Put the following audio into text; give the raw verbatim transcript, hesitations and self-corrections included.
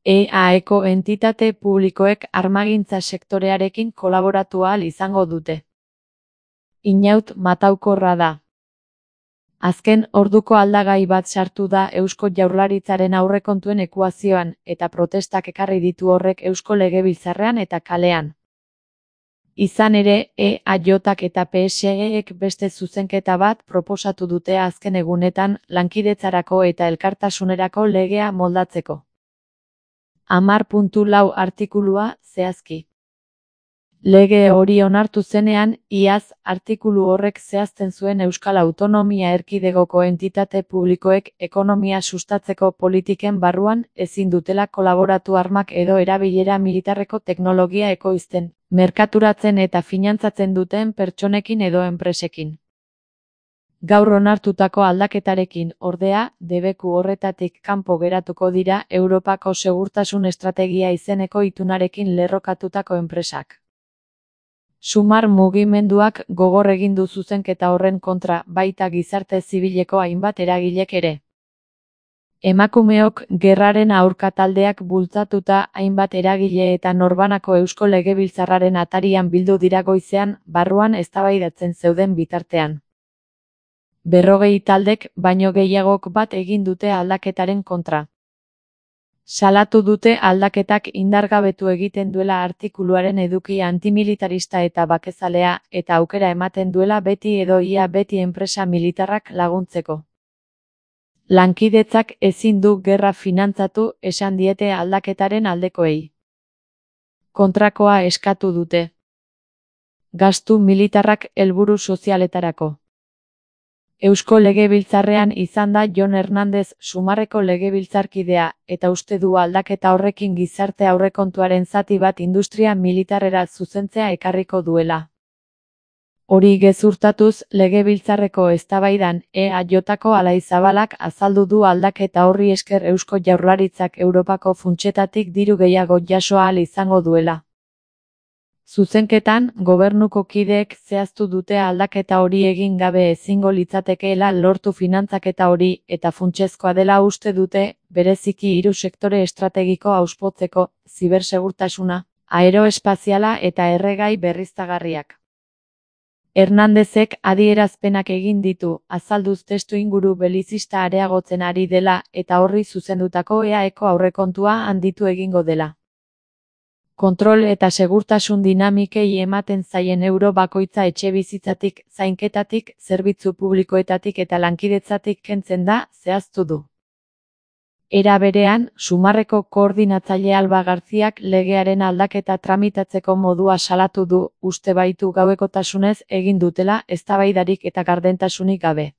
E A-eko entitate publikoek armagintza sektorearekin kolaboratu ahal izango dute. Inaut mataukorra da. Azken orduko aldagai bat sartu da Eusko Jaurlaritzaren aurrekontuen ekuazioan, eta protestak ekarri ditu horrek Eusko Legebiltzarrean eta kalean. Izan ere, E A Jak eta P S E-ek beste zuzenketa bat proposatu dute azken egunetan lankidetzarako eta elkartasunerako legea moldatzeko. Hamar puntu lau artikulua zehazki. Lege hori onartu zenean, iaz, artikulu horrek zehazten zuen Euskal Autonomia Erkidegoko entitate publikoek ekonomia sustatzeko politiken barruan ezin dutela kolaboratu armak edo erabilera militarreko teknologia ekoizten, merkaturatzen eta finantzatzen duten pertsonekin edo enpresekin. Gaur onartutako aldaketarekin, ordea, debeku horretatik kanpo geratuko dira Europako Segurtasun Estrategia izeneko itunarekin lerrokatutako enpresak. Sumar mugimenduak gogor egin du zuzenketa horren kontra, baita gizarte zibileko hainbat eragilek ere. Emakumeok gerraren aurka taldeak bultzatuta hainbat eragile eta norbanako Eusko Legebiltzarraren atarian bildu dira goizean, barruan eztabaidatzen zeuden bitartean. Berrogei taldek baino gehiagok bat egin dute aldaketaren kontra. Salatu dute aldaketak indargabetu egiten duela artikuluaren eduki antimilitarista eta bakezalea, eta aukera ematen duela beti edo ia beti enpresa militarrak laguntzeko. Lankidetzak ezin du gerra finantzatu, esan diete aldaketaren aldekoei. Kontrakoa eskatu dute. Gastu militarrak helburu sozialetarako. Eusko Legebiltzarrean izan da Jon Hernandez Sumarreko legebiltzarkidea, eta uste du aldaketa horrekin gizarte aurrekontuaren zati bat industria militarrera zuzentzea ekarriko duela. Hori gezurtatuz, Legebiltzarreko eztabaidan E A Jko Alai Zabalak azaldu du aldaketa horri esker Eusko Jaurlaritzak Europako funtsetatik diru gehiago jaso ahal izango duela. Zuzenketan, gobernuko kideek zehaztu dute aldaketa hori egin gabe ezingo litzatekeela lortu finantzaketa hori, eta funtsezkoa dela uste dute, bereziki hiru sektore estrategiko hauspotzeko, zibersegurtasuna, aeroespaziala eta erregai berriztagarriak. Hernandezek adierazpenak egin ditu, azalduz testuinguru belizista areagotzen ari dela, eta horri zuzendutako E A-eko aurrekontua handitu egingo dela. Kontrol eta segurtasun dinamikei ematen zaien euro bakoitza etxebizitzatik, zainketatik, zerbitzu publikoetatik eta lankidetzatik kentzen da, zehaztu du. Era berean, Sumarreko koordinatzaile Alba Garziak legearen aldaketa tramitatzeko modua salatu du, uste baitu gauekotasunez egin dutela eztabaidarik eta gardentasunik gabe.